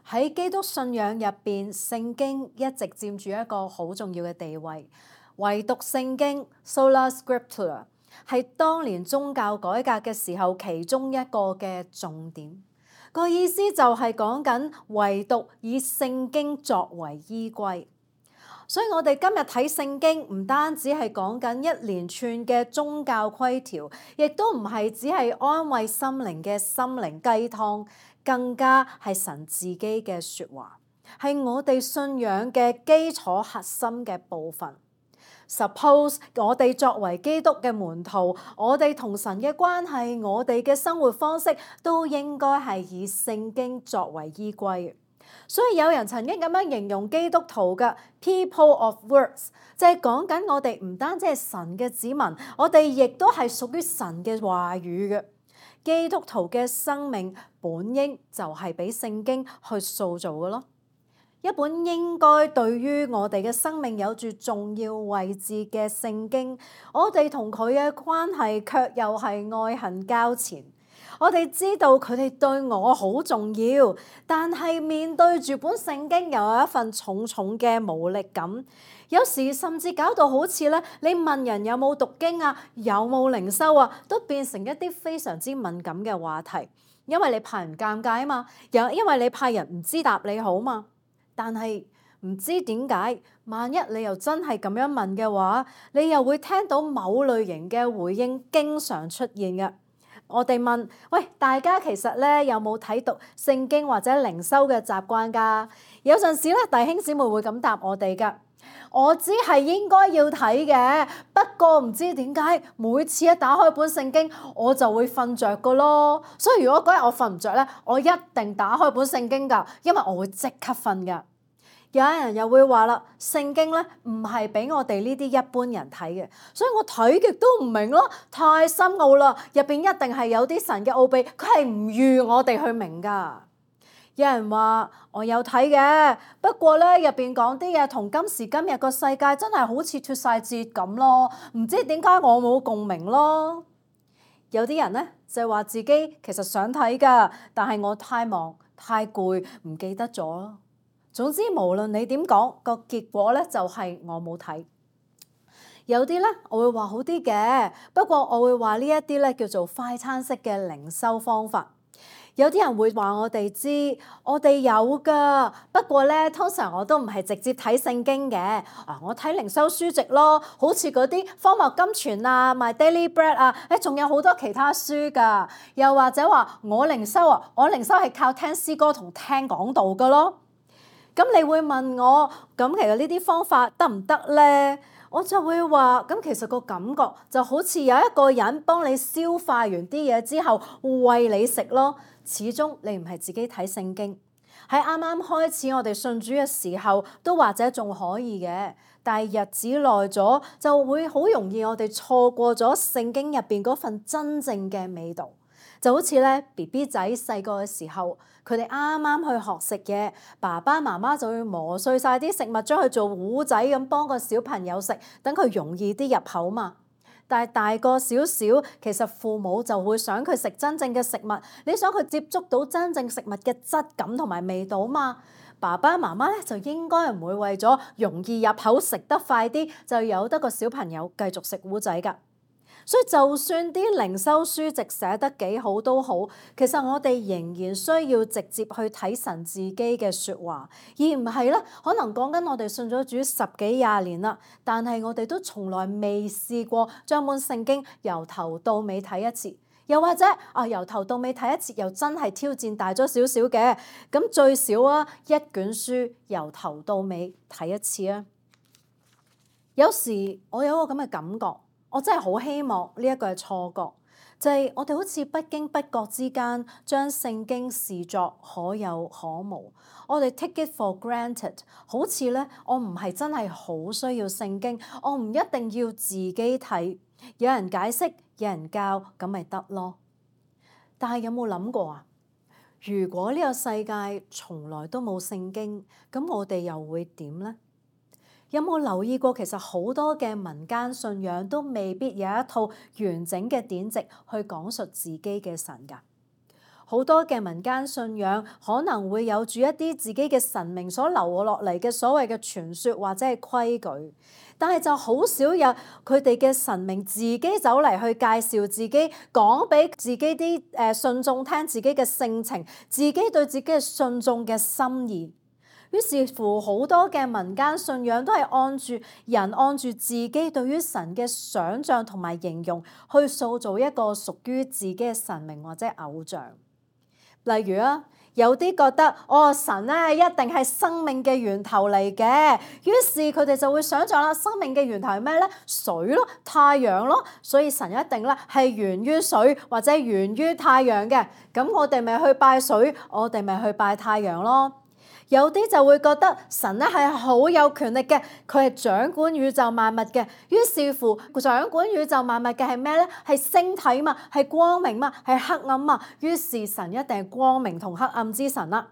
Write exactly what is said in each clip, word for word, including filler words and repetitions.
喺基督信仰入邊，聖經一直佔住一個好重要嘅地位。唯獨聖經 Sola Scriptura 係當年宗教改革嘅時候其中一個嘅重點。個意思就係講緊唯獨以聖經作為依歸。所以我哋今日睇聖經唔單止係講緊一連串嘅宗教規條，亦都唔係只係安慰心靈嘅心靈雞湯，更加係神自己嘅說話，係我哋信仰嘅基礎核心嘅部分。Suppose 我哋作為基督嘅門徒，我哋同神嘅關係，我哋嘅生活方式都應該係以聖經作為依歸。所以有人曾經咁樣形容基督徒嘅 people of words， 就係講緊我哋唔單止係神嘅子民，我哋亦都係屬於神嘅話語嘅。基督徒嘅生命本應就係俾聖經去塑造嘅咯。一本應該對於我哋嘅生命有住重要位置嘅聖經，我哋同佢嘅關係卻又係愛恨交纏。我哋知道佢哋對我好重要，但係面對住本聖經又有一份重重嘅無力感。有時甚至搞到好似咧，你問人有冇讀經啊，有冇靈修啊，都變成一啲非常之敏感嘅話題，因為你怕人尷尬啊嘛，又因為你怕人唔知答你好嘛。但係唔知點解，萬一你又真係咁樣問嘅話，你又會聽到某類型嘅回應經常出現嘅。我哋問，喂，大家其實咧有冇睇讀聖經或者靈修嘅習慣㗎？有陣時咧，弟兄姊妹會咁答我哋㗎。我知係應該要睇嘅，不過唔知點解每次一打開本聖經，我就會瞓着㗎咯。所以如果嗰日我瞓唔着咧，我一定打開本聖經㗎，因為我會即刻瞓㗎。有人又會話啦，聖經咧唔係俾我哋呢啲一般人睇嘅，所以我睇極都唔明咯，太深奧啦，入邊一定係有啲神嘅奧秘，佢係唔預我哋去明㗎。有人話我有睇嘅，不過咧入邊講啲嘢同今時今日個世界真係好似脫晒節咁咯，唔知點解我冇共鳴咯。有啲人咧就話自己其實想睇㗎，但係我太忙太攰唔記得咗咯。總之無論你點講，個結果咧就係我冇睇。有啲咧我會話好啲嘅，不過我會話呢一啲咧叫做快餐式嘅靈修方法。有啲人會話我哋知，我哋有㗎，不過咧通常我都唔係直接睇聖經嘅，啊我睇靈修書籍咯，好似嗰啲荒謬金傳啊、My Daily Bread 啊，誒仲有好多其他書㗎。又或者話我靈修啊，我靈修係靠聽詩歌同聽講道㗎咯。咁你會問我，咁其實呢啲方法得唔得咧？我就會話，咁其實個感覺就好似有一個人幫你消化完啲嘢之後餵你食咯。始終你唔係自己睇聖經。喺啱啱開始我哋信主嘅時候，都或者仲可以嘅，但係日子耐咗就會好容易我哋錯過咗聖經入邊嗰份真正嘅味道。就好似咧 B B 仔細個嘅時候，佢哋啱啱去學食嘢，爸爸媽媽就會磨碎晒啲食物，將佢做糊仔咁幫個小朋友食，等佢容易啲入口嘛。但係大個少少，其實父母就會想佢食真正嘅食物，你想佢接觸到真正食物嘅質感同埋味道嘛。爸爸媽媽咧就應該唔會為咗容易入口食得快啲，就由得個小朋友繼續食糊仔㗎。所以就算啲靈修書籍寫得幾好都好，其實我哋仍然需要直接去睇神自己嘅説話，而唔係咧可能講緊我哋信咗主十幾廿年啦，但係我哋都從來未試過將本聖經由頭到尾睇一次，又或者啊由頭到尾睇一次又真係挑戰大咗少少嘅，咁最少啊一卷書由頭到尾睇一次啊。有時我有個咁嘅感覺。我真係好希望呢一個係錯覺，就係、是、我哋好似不經不覺之間將聖經視作可有可無，我哋 take it for granted， 好似咧我唔係真係好需要聖經，我唔一定要自己睇，有人解釋，有人教，咁咪得咯。但係有冇諗過啊？如果呢個世界從來都冇聖經，咁我哋又會點咧？有冇留意過，其實好多嘅民間信仰都未必有一套完整嘅典籍去講述自己嘅神㗎。好多嘅民間信仰可能會有住一啲自己嘅神明所留落嚟嘅所謂嘅傳說或者係規矩，但係就好少有佢哋嘅神明自己走嚟去介紹自己，講俾自己啲誒信眾聽自己嘅性情，自己對自己嘅信眾嘅心意。於是乎，好多嘅民間信仰都係按住人按住自己對於神嘅想像同埋形容，去塑造一個屬於自己嘅神明或者偶像。例如啊，有啲覺得哦，神咧一定係生命嘅源頭嚟嘅，於是佢哋就會想像啦，生命嘅源頭係咩咧？水咯，太陽咯，所以神一定咧係源於水或者源於太陽嘅。咁我哋咪去拜水，我哋咪去拜太陽咯。有啲就會覺得神咧係好有權力嘅，佢係掌管宇宙萬物嘅。於是乎，掌管宇宙萬物嘅係咩咧？係星體嘛，係光明嘛，係黑暗嘛。於是神一定係光明同黑暗之神啦。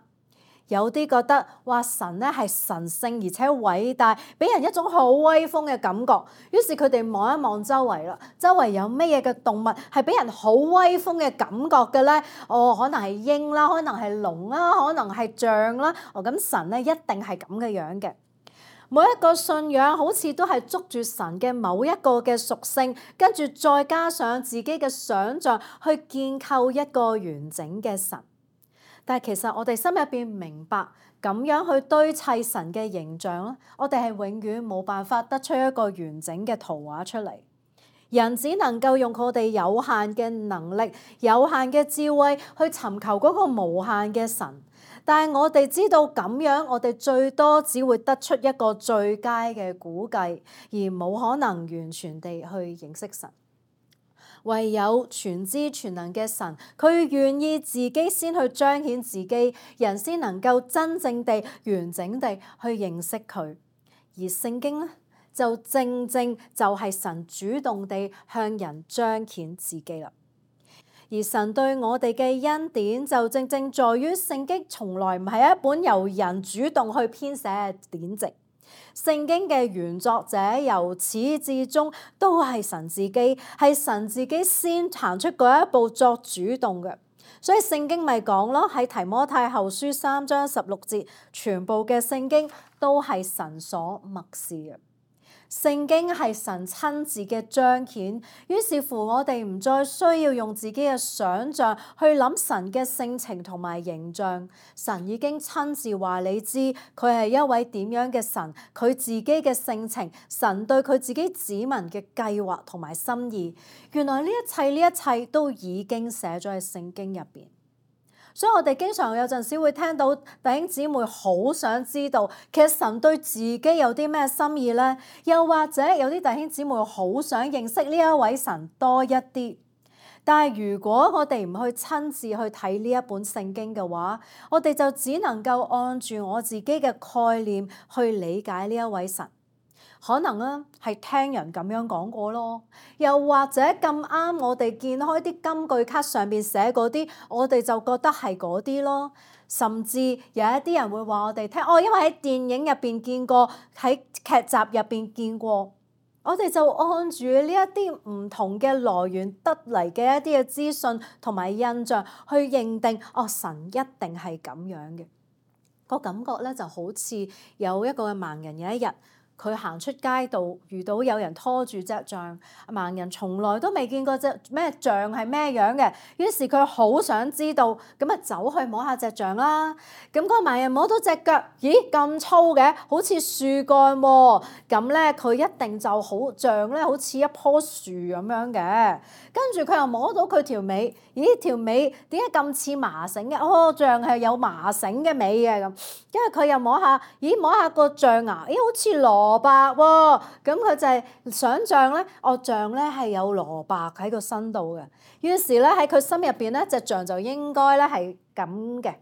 有啲覺得話神咧係神聖而且偉大，俾人一種好威風嘅感覺。於是佢哋望一望周圍啦，周圍有咩嘢嘅動物係俾人好威風嘅感覺嘅咧？哦，可能係鷹啦，可能係龍啦，可能係象啦。哦，咁神咧一定係咁嘅樣嘅。每一個信仰好似都係捉住神嘅某一個嘅屬性，跟住再加上自己嘅想像去建構一個完整嘅神。但係其實我哋心入邊明白，咁樣去堆砌神嘅形象咧，我哋係永遠冇辦法得出一個完整嘅圖畫出嚟。人只能夠用我哋有限嘅能力、有限嘅智慧去尋求嗰個無限嘅神。但係我哋知道咁樣，我哋最多只會得出一個最佳嘅估計，而冇可能完全地去認識神。唯有全知全能嘅神，佢願意自己先去彰顯自己，人先能夠真正地、完整地去認識佢。而聖經咧，就正正就係神主動地向人彰顯自己啦。而神對我哋嘅恩典，就正正在於聖經從來唔係一本由人主動去編寫嘅典籍。聖經嘅原作者由始至終都係神自己，係神自己先行出嗰一步作主動嘅。所以聖經咪講咯，喺提摩太後書三章十六節，全部嘅聖經都係神所默示嘅。聖經係神親自嘅彰顯，於是乎我哋唔再需要用自己嘅想像去諗神嘅性情同埋形象。神已經親自話你知，佢係一位點樣嘅神，佢自己嘅性情，神對佢自己子民嘅計劃同埋心意。原來呢一切呢一切都已經寫咗喺聖經入邊。所以我哋經常有陣時會聽到弟兄姊妹好想知道，其實神對自己有啲咩心意呢？又或者有啲弟兄姊妹好想認識呢一位神多一啲。但係如果我哋唔去親自去睇呢一本聖經嘅話，我哋就只能夠按住我自己嘅概念去理解呢一位神。可能啊，係聽人咁樣講過咯，又或者咁啱我哋見開啲金句卡上邊寫嗰啲，我哋就覺得係嗰啲咯。甚至有一啲人會話我哋聽，哦，因為喺電影入邊見過，喺劇集入邊見過，我哋就按住呢一啲唔同嘅來源得嚟嘅一啲嘅資訊同埋印象去認定，哦，神一定係咁樣嘅。個感覺咧就好似有一個盲人有一日，佢行出街道，遇到有人拖住隻象，盲人從來都未見過隻咩象係咩樣嘅，於是佢好想知道，咁啊走去摸下隻象啦。咁嗰個盲人摸到隻腳，咦咁粗嘅，好似樹幹喎。咁咧佢一定就好象咧，好似一棵樹咁樣嘅。跟住佢又摸到佢條尾，咦條尾點解咁似麻繩嘅？哦，象係有麻繩嘅尾嘅咁。跟住佢又摸下，咦摸下個象牙，咦好似蘿蔔喎。咁佢就係想象咧，哦象咧係有蘿蔔喺個身度嘅。於是咧喺佢心入邊咧，隻象就應該咧係咁嘅。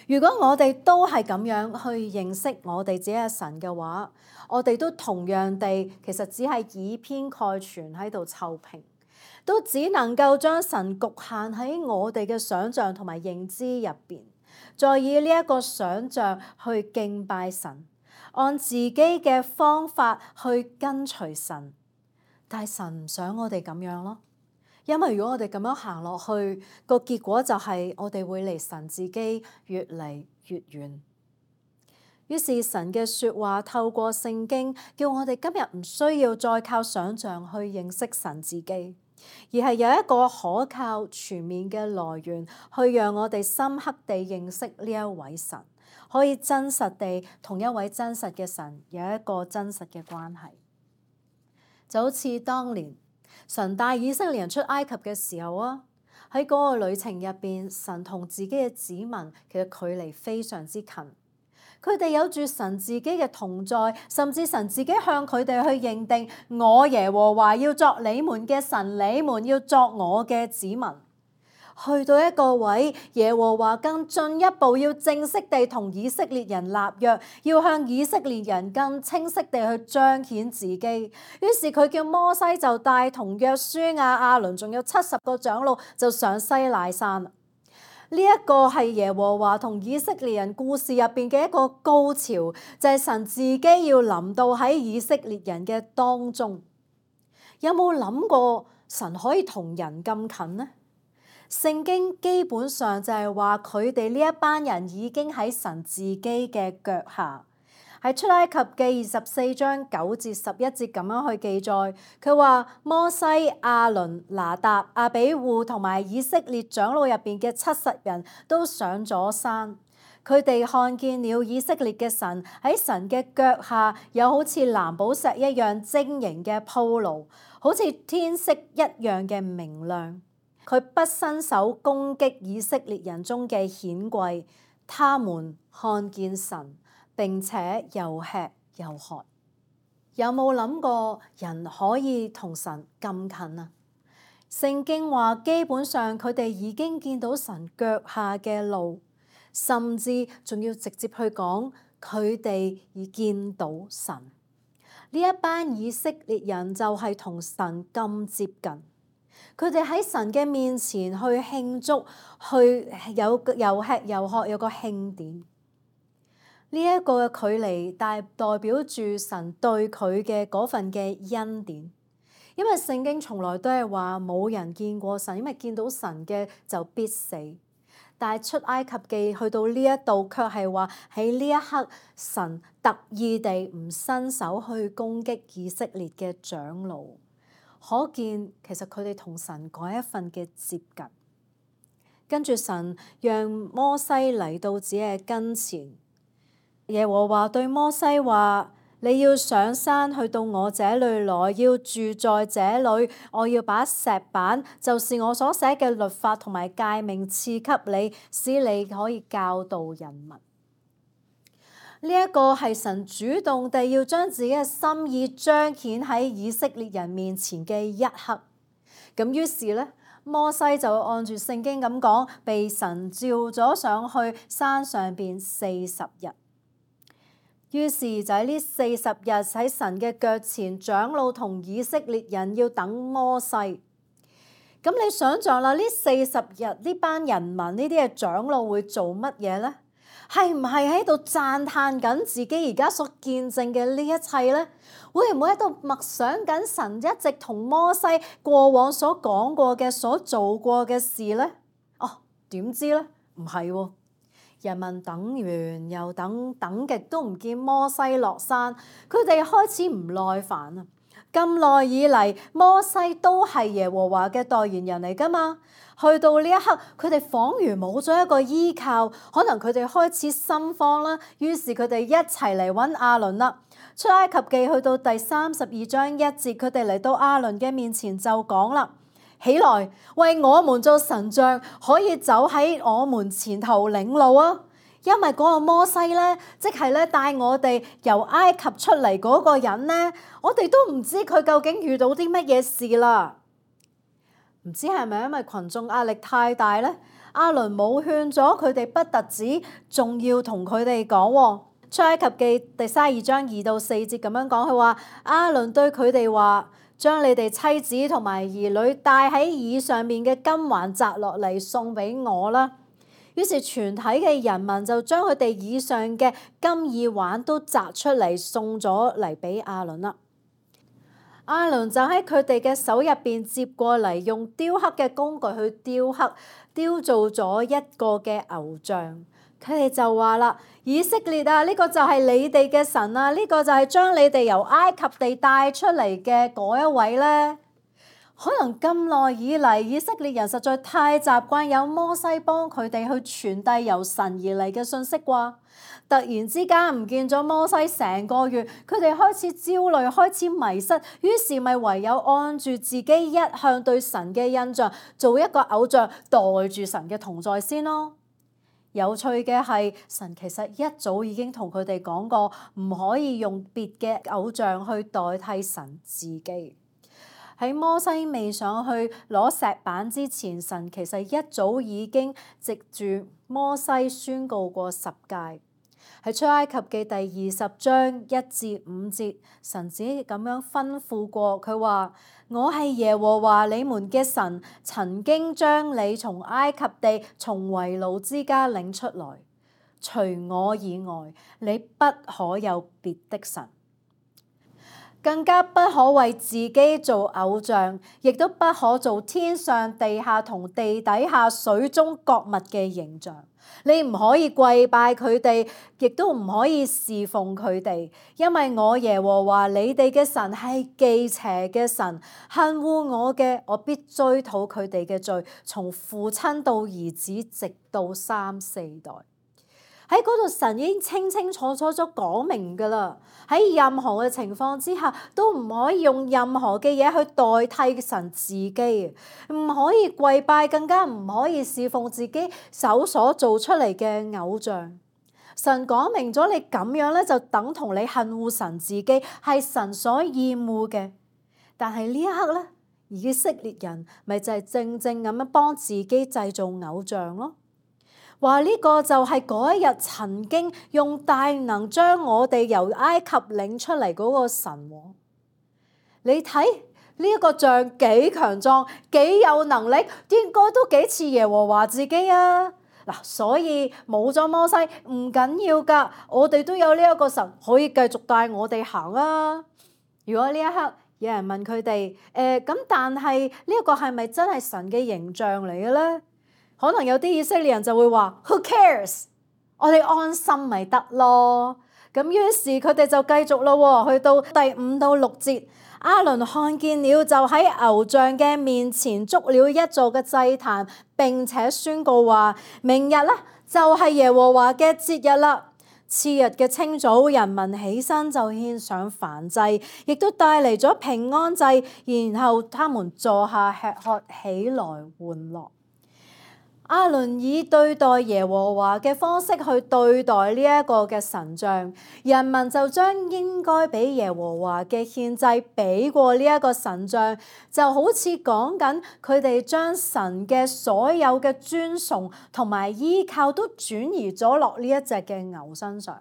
如果我哋都係咁樣去認識我哋自己嘅神嘅話，我哋都同樣地，其實只係以偏概全喺度湊平，都只能夠將神局限喺我哋嘅想像同埋認知入邊，再以呢一個想像去敬拜神，按自己嘅方法去跟隨神。但係神唔想我哋咁樣咯。因為如果我哋咁樣行落去，個結果就係我哋會離神自己越嚟越遠。於是神嘅説話透過聖經，叫我哋今日唔需要再靠想像去認識神自己，而係有一個可靠全面嘅來源，去讓我哋深刻地認識呢一位神，可以真實地同一位真實嘅神有一個真實嘅關係。就好似當年神帶以色列人出埃及嘅時候啊，喺嗰個旅程入邊，神同自己嘅子民其實距離非常之近。佢哋有住神自己嘅同在，甚至神自己向佢哋去認定，我耶和華要作你們嘅神，你們要作我嘅子民。去到一個位，耶和華更進一步要正式地同以色列人立約，要向以色列人更清晰地去彰顯自己。於是佢叫摩西就帶同約書亞、亞倫，仲有七十個長老就上西乃山。呢一個係耶和華同以色列人故事入邊嘅一個高潮，就係神自己要臨到喺以色列人嘅當中。有冇諗過神可以同人咁近呢？聖經基本上就係話佢哋呢一班人已經喺神自己嘅腳下。喺出埃及記二十四章九至十一節咁樣去記載，佢話摩西、亞倫、拿答、亞比戶同埋以色列長老入邊嘅七十人都上咗山，佢哋看見了以色列嘅神喺神嘅腳下，有好似藍寶石一樣晶瑩嘅鋪路，好似天色一樣嘅明亮。佢不伸手攻擊以色列人中嘅顯貴，他們看見神，並且又吃又喝。有冇諗過人可以同神咁近啊？聖經話基本上佢哋已經見到神腳下嘅路，甚至仲要直接去講佢哋已見到神。呢一班以色列人就係同神咁接近，佢哋喺神嘅面前去慶祝，去有又吃又喝，有個慶典。呢一個嘅距離，代代表住神對佢嘅嗰份嘅恩典。因為聖經從來都係話冇人見過神，因為見到神嘅就必死。但係出埃及記去到呢一度，卻係話喺呢一刻，神特意地唔伸手去攻擊以色列嘅長老，可見其實佢哋同神嗰一份嘅接近。跟住神讓摩西嚟到自己嘅跟前。耶和華對摩西話：你要上山去到我這裏來，要住在這裏。我要把石板，就是我所寫嘅律法同埋誡命賜給你，使你可以教導人民。呢、這、一個係神主動地要將自己嘅心意彰顯喺以色列人面前嘅一刻。咁於是呢，摩西就按住聖經咁講，被神召咗上去山上邊四十日。於是就喺呢四十日喺神嘅腳前，長老同以色列人要等摩西。咁你想象啦，呢四十日呢班人民呢啲嘅長老會做乜嘢呢？係唔係喺度讚歎緊自己而家所見證嘅呢一切呢？會唔會喺度默想緊神一直同摩西過往所講過嘅、所做過嘅事呢？哦，點知呢？唔係喎。人民等完又等，等極都唔見摩西落山，佢哋開始唔耐煩啊！咁耐以嚟，摩西都係耶和華嘅代言人嚟㗎嘛？去到呢一刻，佢哋彷如冇咗一個依靠，可能佢哋開始心慌啦。於是佢哋一齊嚟揾亞倫啦。出埃及記去到第三十二章一節，佢哋嚟到亞倫嘅面前就講啦：起來，為我們做神像，可以走喺我們前頭領路啊！因為嗰個摩西咧，即係咧帶我哋由埃及出嚟嗰個人咧，我哋都唔知佢究竟遇到啲乜嘢事啦。唔知係咪因為群眾壓力太大咧？亞倫冇勸咗佢哋，不特止，仲要同佢哋講喎。出埃及記第三十二章二到四節咁樣講，佢話亞倫對佢哋話：將你哋妻子同埋兒女戴喺耳上面嘅金環摘落嚟送俾我啦。於是全體嘅人民就將佢哋耳上嘅金耳環都摘出嚟送咗嚟俾亞倫啦。亞倫就喺佢哋嘅手入邊接過嚟，用雕刻嘅工具去雕刻，雕造咗一個嘅偶像。佢哋就話啦：以色列啊，呢個就係你哋嘅神啊，呢個就係將你哋由埃及地帶出嚟嘅嗰一位呢。可能咁耐以嚟，以色列人實在太習慣有摩西幫佢哋去傳遞由神而嚟嘅信息啩。突然之間唔見咗摩西成個月，佢哋開始焦慮，開始迷失，於是咪唯有按住自己一向對神嘅印象，做一個偶像，代住神嘅同在先咯。有趣嘅係，神其實一早已經同佢哋講過，唔可以用別嘅偶像去代替神自己。喺摩西未上去攞石板之前，神其實一早已經藉住摩西宣告過十誡。喺出埃及記第二十章一至五節，神只咁樣吩咐過，佢話：我係耶和華你們嘅神，曾經將你從埃及地從為奴之家領出來。除我以外，你不可有別的神。更加不可為自己做偶像，亦都不可做天上、地下同地底下水中各物嘅形象。你唔可以跪拜佢哋，亦都唔可以侍奉佢哋，因為我耶和華你哋嘅神係忌邪嘅神，恨惡我嘅，我必追討佢哋嘅罪，從父親到兒子，直到三四代。喺嗰度，神已經清清楚楚咗講明㗎啦。喺任何嘅情況之下，都唔可以用任何嘅嘢去代替神自己，唔可以跪拜，更加唔可以侍奉自己手所做出嚟嘅偶像。神講明咗，你咁樣咧，就等同你恨惡神自己，係神所厭惡嘅。但係呢一刻咧，以色列人咪就係正正咁樣幫自己製造偶像咯。話呢個就係嗰一日曾經用大能將我哋由埃及領出嚟嗰個神。你睇呢一個像幾強壯，幾有能力，應該都幾似耶和華自己啊！嗱，所以冇咗摩西唔緊要㗎，我哋都有呢一個神可以繼續帶我哋行啊！如果呢一刻有人問佢哋，誒咁，但係呢一個係咪真係神嘅形象嚟嘅咧？可能有啲以色列人就會話 Who cares？ 我哋安心咪得咯。咁於是佢哋就繼續咯，去到第五到六節，亞倫看見了，就喺偶像嘅面前築了一座嘅祭壇，並且宣告話：明日咧就係耶和華嘅節日啦。次日嘅清早，人民起身就獻上燔祭，亦都帶嚟咗平安祭，然後他們坐下吃喝，起來玩樂。亞倫以對待耶和華嘅方式去對待呢一個嘅神像，人民就將應該俾耶和華嘅獻祭俾過呢一個神像，就好似講緊佢哋將神嘅所有嘅尊崇同埋依靠都轉移咗落呢一隻嘅牛身上。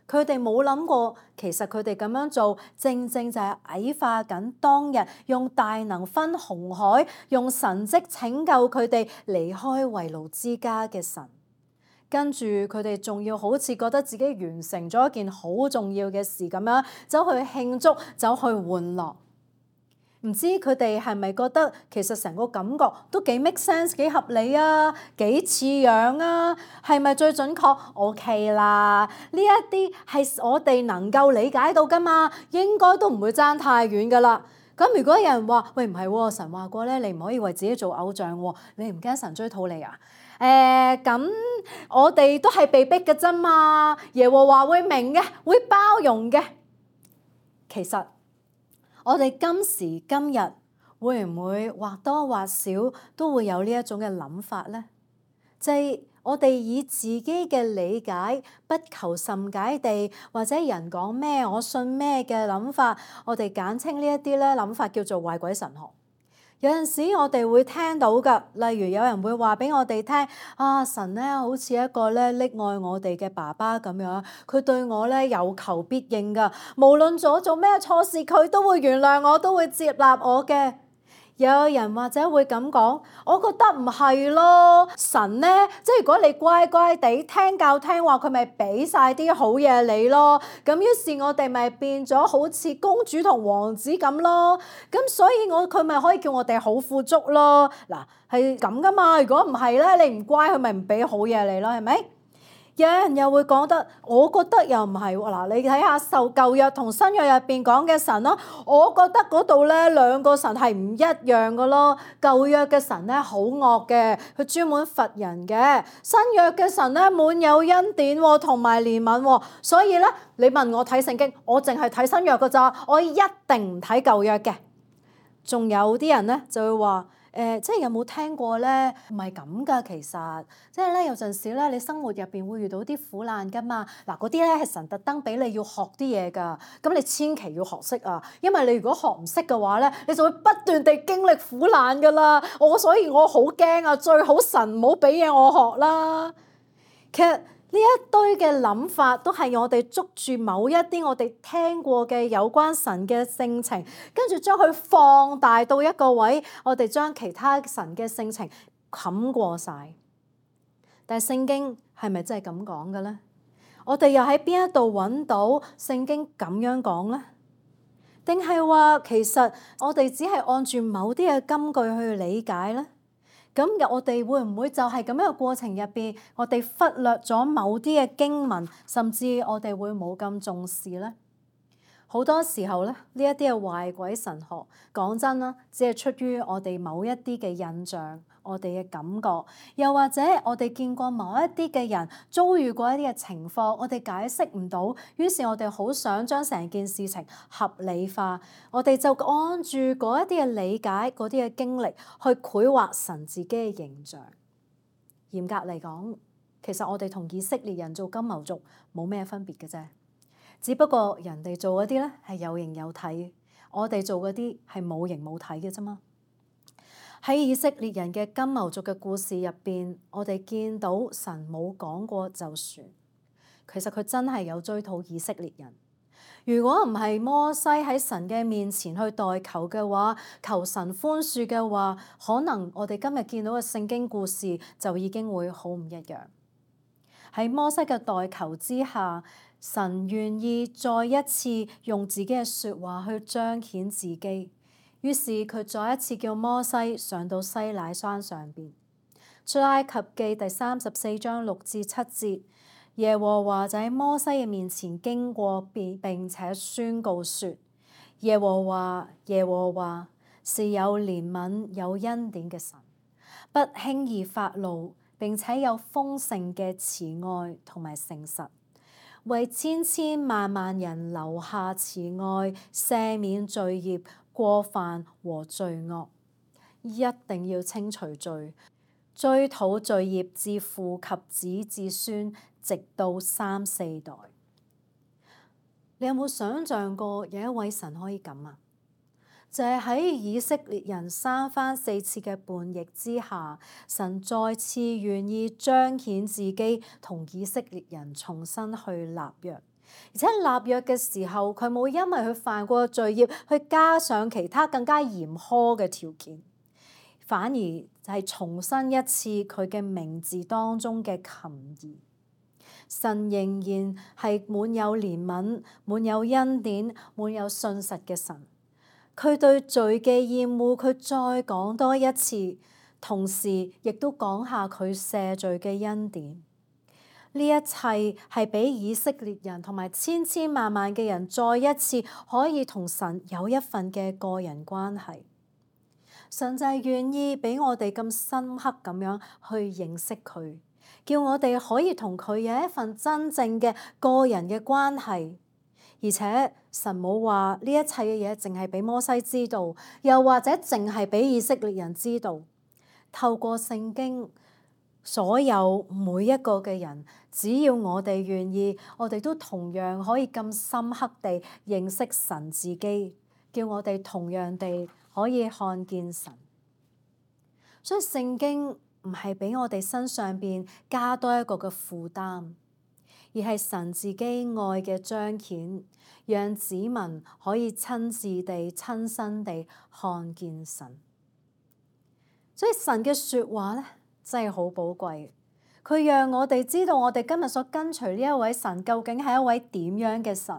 佢哋冇諗過，其實佢哋咁樣做，正正就係矮化緊當日用大能分紅海，用神蹟拯救佢哋離開為奴之家嘅神。跟住佢哋仲要好似覺得自己完成咗一件好重要嘅事咁樣，走去慶祝，走去玩樂。唔知佢哋係咪覺得其實成個感覺都幾 make sense， 幾合理啊，幾似樣啊？係咪最準確 ？OK 啦，呢一啲係我哋能夠理解到噶嘛，應該都唔會爭太遠噶啦。咁如果有人話：喂，唔係喎，神話過咧，你唔可以為自己做偶像喎，你唔驚神追討你啊？誒、呃，咁我哋都係被逼嘅啫嘛，耶和華會明嘅，會包容嘅。其實我哋今時今日會唔會或多或少都會有呢一種嘅諗法呢？即係我哋以自己嘅理解不求甚解地，或者人講咩我信咩嘅諗法，我哋簡稱呢一啲咧諗法叫做壞鬼神學。有陣時我哋會聽到㗎，例如有人會話俾我哋聽，啊神咧好似一個咧溺愛我哋嘅爸爸咁樣，佢對我咧有求必應㗎，無論我做咩錯事，佢都會原諒我，都會接納我嘅。有人或者會咁講，我覺得唔係咯，神呢，即係如果你乖乖地聽教聽話，佢咪俾晒啲好嘢你咯。咁於是我哋咪變咗好似公主同王子咁咯。咁所以我佢咪可以叫我哋好富足咯。嗱，係咁噶嘛。如果唔係咧，你唔乖，佢咪唔俾好嘢你咯，係咪？有人又會講得，我覺得又唔係喎。嗱，你睇下受舊約同新約入邊講嘅神咯，我覺得嗰度咧兩個神係唔一樣嘅咯。舊約嘅神咧好惡嘅，佢專門罰人嘅；新約嘅神咧滿有恩典同埋憐憫喎。所以咧，你問我睇聖經，我淨係睇新約㗎咋，我一定唔睇舊約嘅。仲有啲人咧就會話。誒、呃，即係有冇聽過咧？唔係咁噶，其實即係咧有陣時咧，你生活入邊會遇到啲苦難噶嘛。嗱，嗰啲咧係神特登俾你要學啲嘢噶，咁你千祈要學識啊，因為你如果學唔識嘅話咧，你就會不斷地經歷苦難噶啦。我所以我好驚啊，最好神唔好俾嘢我學啦。其實呢一堆嘅諗法都係我哋捉住某一啲我哋聽過嘅有關神嘅性情，跟住將佢放大到一個位，我哋將其他神嘅性情冚過晒。但係聖經係咪真係咁講嘅咧？我哋又喺邊一度揾到聖經咁樣講咧？定係話其實我哋只係按住某啲嘅金句去理解咧？咁我哋會唔會就係咁樣嘅過程入邊，我哋忽略咗某啲嘅經文，甚至我哋會冇咁重視咧？好多時候咧，呢一啲嘅壞鬼神學，講真啦，只係出於我哋某一啲嘅印象，我哋嘅感覺，又或者我哋見過某一啲嘅人遭遇過一啲嘅情況，我哋解釋唔到，於是我哋好想將成件事情合理化，我哋就按住嗰一啲嘅理解、嗰啲嘅經歷去繪畫神自己嘅形象。嚴格嚟講，其實我哋同以色列人做金牛族冇咩分別嘅啫。只不過人哋做嗰啲咧係有形有體，我哋做嗰啲係冇形冇體嘅啫嘛。喺以色列人嘅金牛族嘅故事入邊，我哋見到神冇講過就算，其實佢真係有追討以色列人。如果唔係摩西喺神嘅面前去代求嘅話，求神寬恕嘅話，可能我哋今日見到嘅聖經故事就已經會好唔一樣。喺摩西嘅代求之下，神願意再一次用自己嘅説話去彰顯自己，於是佢再一次叫摩西上到西乃山上邊。出埃及記第三十四章六至七節，耶和華就喺摩西嘅面前經過，並且宣告說：耶和華耶和華是有憐憫有恩典嘅神，不輕易發怒，並且有豐盛嘅慈愛同埋誠實，為千千萬萬人留下慈愛，赦免罪孽、過犯和罪惡，一定要清除罪，追討罪孽自父及子至孫，直到三四代。你有冇想像過有一位神可以咁啊？就係喺以色列人三番四次嘅叛逆之下，神再次願意彰顯自己，同以色列人重新去立約。而且立約嘅時候，佢冇因為佢犯過罪孽去加上其他更加嚴苛嘅條件，反而就係重申一次佢嘅名字當中嘅琴義。神仍然係滿有憐憫、滿有恩典、滿有信實嘅神。佢對罪嘅厭惡，佢再講多一次，同時亦都講下佢赦罪嘅恩典。呢一切係俾以色列人同埋千千萬萬嘅人再一次可以同神有一份嘅個人關係。神就係願意俾我哋咁深刻咁樣去認識佢，叫我哋可以同佢有一份真正嘅個人嘅關係。而且神冇話呢一切嘅嘢淨係俾摩西知道，又或者淨係俾以色列人知道。透過聖經，所有每一個嘅人，只要我哋願意，我哋都同樣可以咁深刻地認識神自己，叫我哋同樣地可以看見神。所以聖經唔係俾我哋身上邊加多一個嘅負擔，而係神自己愛嘅彰顯，讓子民可以親自地、親身地看見神。所以神嘅説話咧真係好寶貴，佢讓我哋知道我哋今日所跟隨呢一位神究竟係一位點樣嘅神，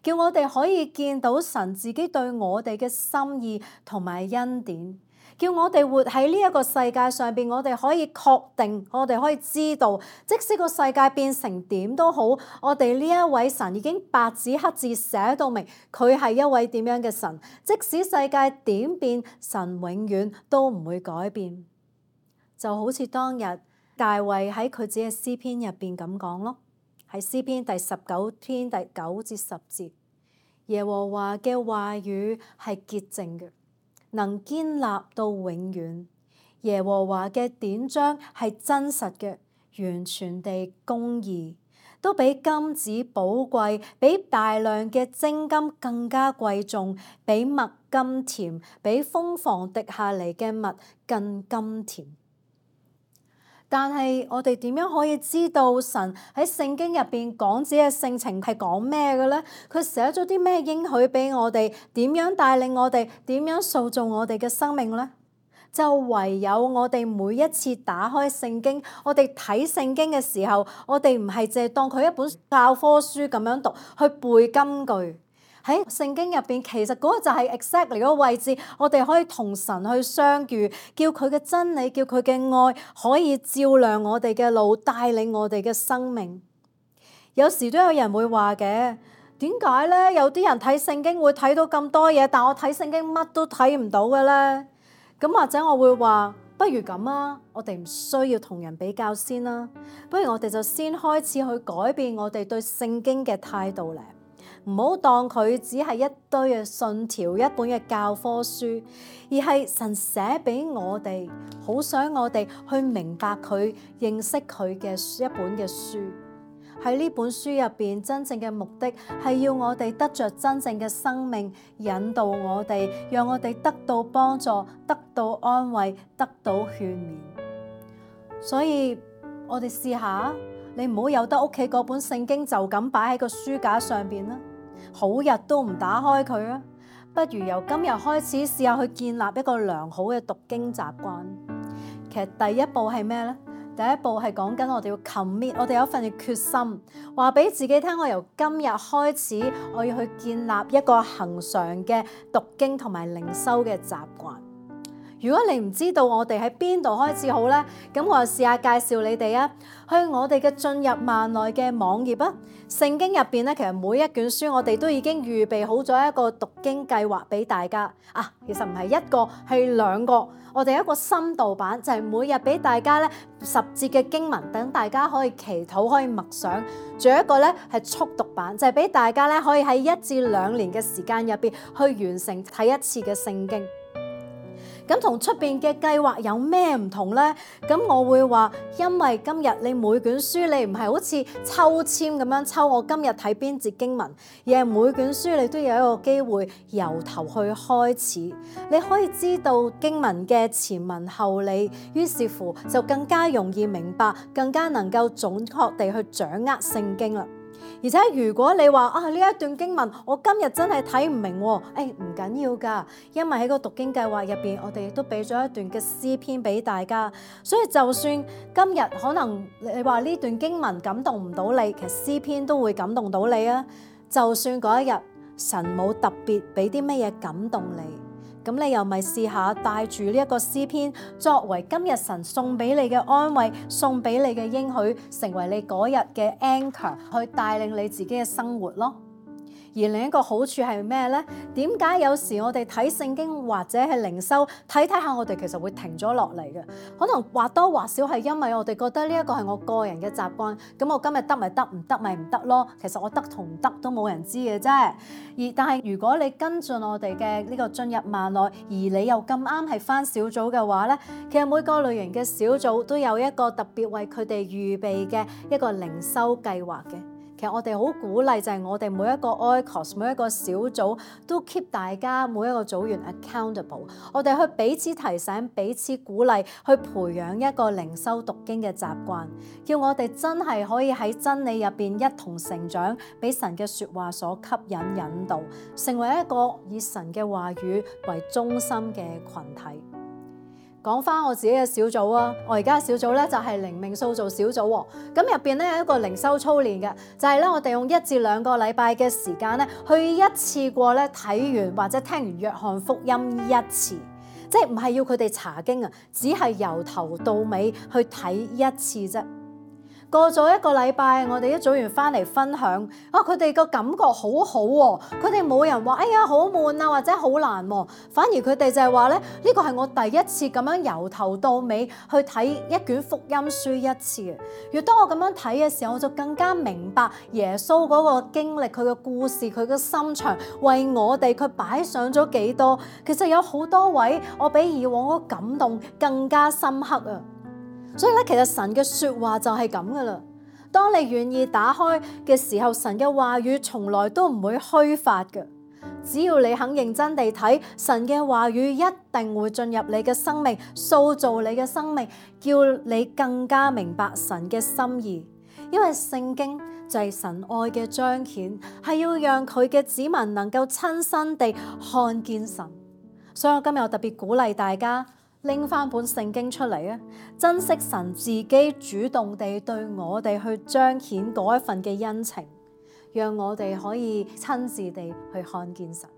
叫我哋可以見到神自己對我哋嘅心意同埋恩典。叫我哋活喺呢一個世界上邊，我哋可以確定，我哋可以知道，即使個世界變成點都好，我哋呢一位神已經白紙黑字寫到明，佢係一位點樣嘅神。即使世界點變，神永遠都唔會改變。就好似當日大衛喺佢自己嘅詩篇入邊咁講咯，喺詩篇第十九篇第九至十節，耶和華嘅話語係潔淨嘅，能堅立到永遠。耶和華嘅典章係真實嘅，完全地公義，都比金子寶貴，比大量嘅精金更加貴重，比蜜甘甜，比蜂房滴下嚟嘅蜜更甘甜。但係我哋點樣可以知道神喺聖經入邊講自己嘅性情係講咩嘅咧？佢寫咗啲咩應許俾我哋？點樣帶領我哋？點樣塑造我哋嘅生命咧？就唯有我哋每一次打開聖經，我哋睇聖經嘅時候，我哋唔係淨係當佢一本教科書咁樣讀，去背金句。喺聖經入邊，其實嗰個就係 exactly 嗰個位置，我哋可以同神去相遇，叫佢嘅真理，叫佢嘅愛可以照亮我哋嘅路，帶領我哋嘅生命。有時都有人會話嘅，點解咧？有啲人睇聖經會睇到咁多嘢，但我睇聖經乜都睇唔到嘅咧？咁或者我會話，不如咁啊，我哋唔需要同人比較先啦，不如我哋就先開始去改變我哋對聖經嘅態度咧。唔好當佢只係一堆嘅信條，一本嘅教科書，而係神寫俾我哋，好想我哋去明白佢、認識佢嘅一本嘅書。喺呢本書入邊，真正嘅目的係要我哋得着真正嘅生命，引導我哋，讓我哋得到幫助、得到安慰、得到勸勉。所以我哋試下，你唔好由得屋企嗰本聖經就咁擺喺個書架上邊啦，好日都唔打開佢啊！不如由今日開始試下去建立一個良好嘅讀經習慣。其實第一步係咩呢？第一步係講緊我哋要 commit，我哋有一份嘅決心，話俾自己聽，我由今日開始，我要去建立一個恆常嘅讀經同埋靈修嘅習慣。如果你唔知道我哋喺邊度開始好呢，咁我就試下介紹你哋啊，去我哋嘅進入萬內嘅網頁啊。聖經入邊咧，其實每一卷書我哋都已經預備好咗一個讀經計劃俾大家啊。其實唔係一個，係兩個。我哋一個深度版就係每日俾大家咧十節嘅經文，等大家可以祈禱，可以默想。仲有一個咧係速讀版，就係俾大家咧可以喺一至兩年嘅時間入邊去完成睇一次嘅聖經。咁同出邊嘅計劃有咩唔同呢？咁我會話，因為今日你每卷書你唔係好似抽籤咁樣抽，我今日睇邊節經文，而係每卷書你都有一個機會由頭去開始，你可以知道經文嘅前文後理，於是乎就更加容易明白，更加能夠準確地去掌握聖經啦。而且如果你話啊，呢一段經文我今日真係睇唔明喎，誒唔緊要㗎，因為喺個讀經計劃入邊，我哋亦都俾咗一段嘅詩篇俾大家，所以就算今日可能你話呢段經文感動唔到你，其實詩篇都會感動到你啊。就算嗰一日神冇特別俾啲乜嘢感動你，咁你又咪試下帶住呢一個詩篇作為今日神送俾你嘅安慰，送俾你嘅應許，成為你嗰日嘅 anchor， 去帶領你自己嘅生活咯。而另一個好處係咩呢？點解有時我哋睇聖經或者係靈修睇睇下，我哋其實會停咗落嚟嘅？可能或多或少係因為我哋覺得呢一個係我個人嘅習慣，咁我今日得咪得，唔得咪唔得咯。其實我得同唔得都冇人知嘅啫。而但係如果你跟進我哋嘅呢個進入萬內，而你又咁啱係返小組嘅話呢，其實每個類型嘅小組都有一個特別為佢哋預備嘅一個靈修計劃嘅。其實我哋好鼓勵就係我哋每一個 oikos 每一個小組都 keep 大家每一個組員 accountable， 我哋去彼此提醒、彼此鼓勵，去培養一個靈修讀經嘅習慣，叫我哋真係可以喺真理入邊一同成長，俾神嘅説話所吸引引導，成為一個以神嘅話語為中心嘅群體。講翻我自己嘅小組啊，我而家小組咧就係靈命塑造小組喎。咁入邊咧有一個靈修操練嘅，就係咧我哋用一至兩個禮拜嘅時間咧，去一次過咧睇完或者聽完約翰福音一次，即係唔係要佢哋查經啊，只係由頭到尾去睇一次啫。過咗一個禮拜，我哋一組員翻嚟分享，啊佢哋個感覺好好喎，佢哋冇人話哎呀好悶啊或者好難喎，反而佢哋就係話咧呢個係我第一次咁樣由頭到尾去睇一卷福音書一次嘅。越當我咁樣睇嘅時候，我就更加明白耶穌嗰個經歷，佢嘅故事，佢嘅心腸，為我哋佢擺上咗幾多。其實有好多位我比以往嗰個感動更加深刻啊！所以咧，其實神嘅說話就係咁噶啦。當你願意打開嘅時候，神嘅話語從來都唔會虛發嘅。只要你肯認真地睇，神嘅話語一定會進入你嘅生命，塑造你嘅生命，叫你更加明白神嘅心意。因為聖經就係神愛嘅彰顯，係要讓佢嘅子民能夠親身地看見神。所以我今日我特別鼓勵大家，拎翻本聖經出嚟啊！珍惜神自己主動地對我哋去彰顯嗰一份嘅恩情，讓我哋可以親自地去看見神。